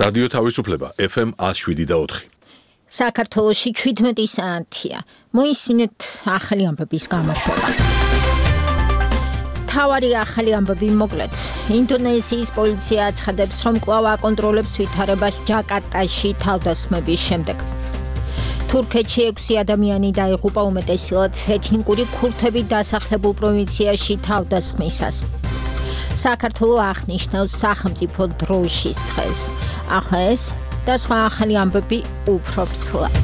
რადიო თავისუფლება FM 107.4. საქართველოში 17 საათია. მოისმინეთ ახალი ამბების გამოშვება. თავარი ახალი ამბები მოკლედ. ინდონეზიის პოლიცია აცხადებს, რომ კვლავ აკონტროლებს ვითარებას ჯაკარტაში თავდასხმების შემდეგ. თურქეთში 6 ადამიანი დაიღუპა უმეტესად ეთნიკური ქურთები დასახლებულ პროვინციაში თავდასხმისას. საქართველო აღნიშნავს სახელმწიფო დროშის დღეს. ახლა ეს და სხვა ახალი ამბები უფრო ვრცლად.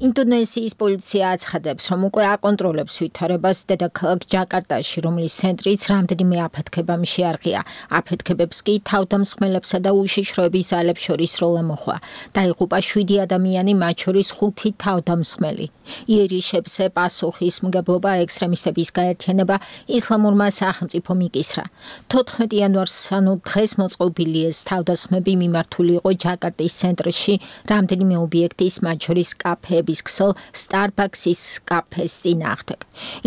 ინდონეზიის პოლიცია აცხადებს, რომ უკვე აკონტროლებს ვითარებას დედაქალაქ ჯაკარტაში, რომლის ცენტრიც რამდენიმე აფეთქებამ შეარღია. აფეთქებებს კი თავდამსხმელებსა და უშიშროების ძალებს შორის როლა მოხდა. დაიღუპა 7 ადამიანი, მათ შორის 5 თავდამსხმელი. იერიშებზე პასუხისმგებლობა ექსტრემისტების გაერთიანება ისლამურმა სახელმწიფომ იკისრა. 14 იანვარს, ანუ დღეს მოწყობილი ეს თავდასხმები მიმართული იყო ჯაკარტის ცენტრში რამდენიმე ობიექტის, მათ შორის კაფეების ქსელ Starbucks-ის კაფეს წინააღმდეგ.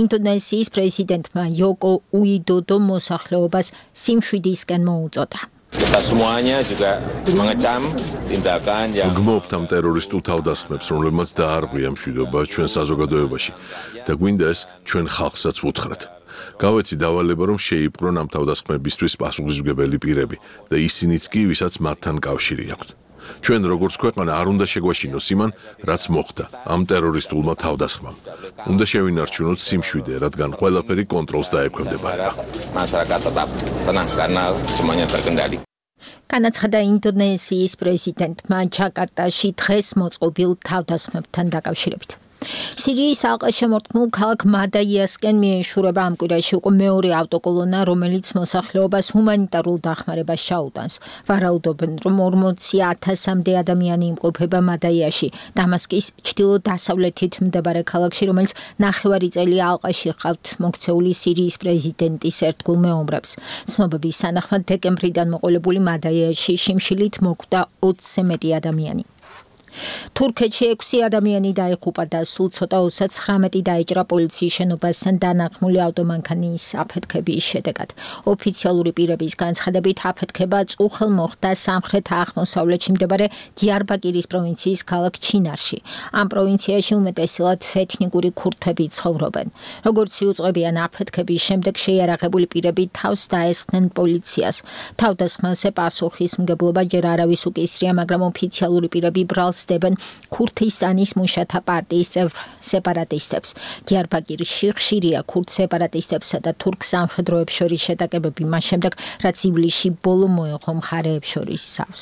ინდონეზიის პრეზიდენტმა იოკო უიდოდო მოსახლეობას სიმშვიდისკენ მოუწოდა. Kita semuanya juga mengecam tindakan yang გმობთ ამ ტერორისტულ თავდასხმებს, რომლებმაც დაარღვია მშვიდობა ჩვენ საზოგადოებაში და გვინდა ეს ჩვენ ხალხსაც ვუთხრათ. გავეცი დავალება, რომ შეიპყრონ ამ თავდასხმებისთვის პასუხისმგებელი პირები და ისინიც კი, ვისაც მათთან კავშირი აქვთ. ჩვენ როგორც ქვეყანა არ უნდა შეგვაშინოს იმან, რაც მოხდა ამ ტერორისტულმა თავდასხმამ. უნდა შევინარჩუნოთ სიმშვიდე, რადგან ყველაფერი კონტროლს დაექვემდებარება. masyarakat tetap tenang karena semuanya terkendali. განაცხადა ინდონეზიის პრეზიდენტმა ჯაკარტაში დღეს მოწყობილ თავდასხმებთან დაკავშირებით. სირიის ალყაშემორტყმულ ქალაქ მადაიასკენ მიეშურება ამ კვირაში უკვე მეორე ავტოკოლონა, რომელიც მოსახლეობას ჰუმანიტარულ დახმარებას ჩაუტანს. ვარაუდობენ, რომ 40,000-მდე ადამიანი იმყოფება მადაიაში, დამასკის ჩრდილო-დასავლეთით მდებარე ქალაქში, რომელიც ნახევარი წელი ალყაში ჰყავთ მოქცეული სირიის პრეზიდენტის ერთგულ მეომრებს. ცნობების თანახმად, დეკემბრიდან მოყოლებული მადაიაში შიმშილით მოკვდა 20-ზე მეტი ადამიანი. თურქეთში 6 ადამიანი დაიღუპა და სულ ცოტა 39 დაიჭრა პოლიციის შენობასთან დანახმული ავტომანქანის აფეთქების შედეგად. ოფიციალური პირების განცხადებით, აფეთქება წუხელ მოხდა სამხრეთ-აღმოსავლეთში მდებარე დიარბაკირის პროვინციის ქალაქ ჩინარში. ამ პროვინციაში უმეტესად ეთნიკური ქურთები ცხოვრობენ. როგორც იუწყებიან, აფეთქების შემდეგ შეიარაღებული პირები თავს დაესხნენ პოლიციას. თავდასხმაზე პასუხისმგებლობა ჯერ არავის უკისრია, მაგრამ ოფიციალური პირები ბრალს ქურთისტანის მუშათა პარტიის წევრ სეპარატისტებს. დიარბაკირში ხშირია ქურთ სეპარატისტებსა და თურქ სამხედროებს შორის შეტაკებები მას შემდეგ, რაც ივლისში ბოლო მოეღო მხარეებს შორის სავს.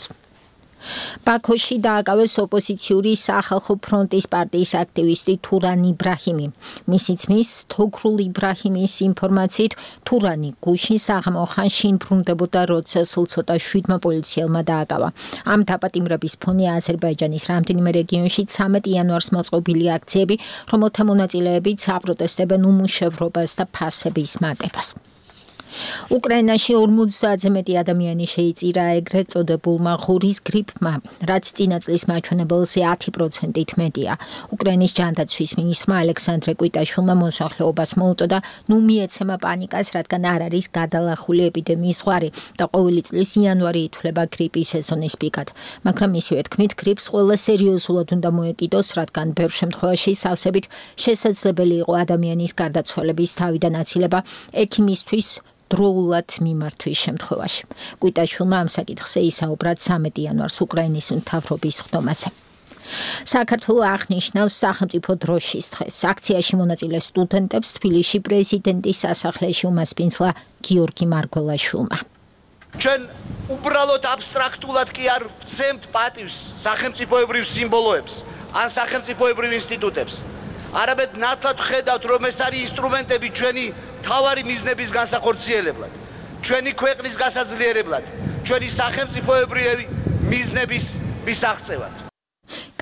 ბაქოში დააკავეს ოპოზიციური სახალხო ფრონტის პარტიის აქტივისტი თურან იბრაჰიმი. მისი ძმის თოგრულ იბრაჰიმის ინფორმაციით, თურანი გუშინ საღამო ხანში ბრუნდებოდა, როცა სულ ცოტა 7 პოლიციელმა დააკავა. ამ დაპატიმრების ფონი აზერბაიჯანის რამდენიმე რეგიონში 13 იანვარს მოწყობილი აქციები, რომელთა მონაწილეებიც აპროტესტებენ უმუშევრობას და ფასების მატებას. უკრაინაში 50-ზე მეტი ადამიანი შეიწირა ეგრეთ წოდებულმა ღურის გრიპმა, რაც წინა წლის მაჩვენებელზე 10%-ით მეტია. უკრაინის ჯანდაცვის მინისტრმა ალექსანდრე კვიტაშვილმა მოსახლეობას მოუწოდა, ნუ მიეცემა პანიკას, რადგან არ არის გადალახული ეპიდემიის ზღვარი და ყოველი წლის იანვარი ითვლება გრიპის სეზონის პიკად. მაგრამ ისევე თქმით, გრიპს ყველა სერიოზულად უნდა მოეკიდოს, რადგან ბევრ შემთხვევაში სავსებით შესაძლებელი იყო ადამიანის გარდაცვალების თავიდან აცილება ექიმისთვის დროულად მიმართვის შემთხვევაში. კვიტაშვილმა ამ საკითხზე ისაუბრა 13 იანვარს უკრაინის მთავრობის ხდომაზე. საქართველო აღნიშნავს სახელმწიფო დროშის დღეს. აქციაში მონაწილე სტუდენტებს თბილისში პრეზიდენტის სასახლეში უმასპინძლა გიორგი მარგველაშვილმა. ჩვენ უბრალოდ აბსტრაქტულად კი არ ვცემთ პატივს სახელმწიფოებრივ სიმბოლოებს ან სახელმწიფოებრივ ინსტიტუტებს. არამედ ნათლად ხედავთ, რომ ეს არის ინსტრუმენტები ჩვენი თავარი მიზნების განსახორციელებლად, ჩვენი ქვეყნის გასაძლიერებლად, ჩვენი სახელმწიფოებრივი მიზნების მისაღწევად.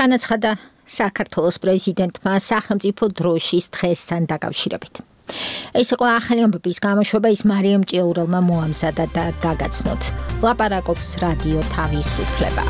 განაცხადა საქართველოს პრეზიდენტმა სახელმწიფო დროშის დღესთან დაკავშირებით. ეს იყო ახალი ამბების გამოშვება, ის მარიამ ჭიაურელმა მოამზადა და გაგაცნოთ. ლაპარაკობს რადიო თავისუფლება.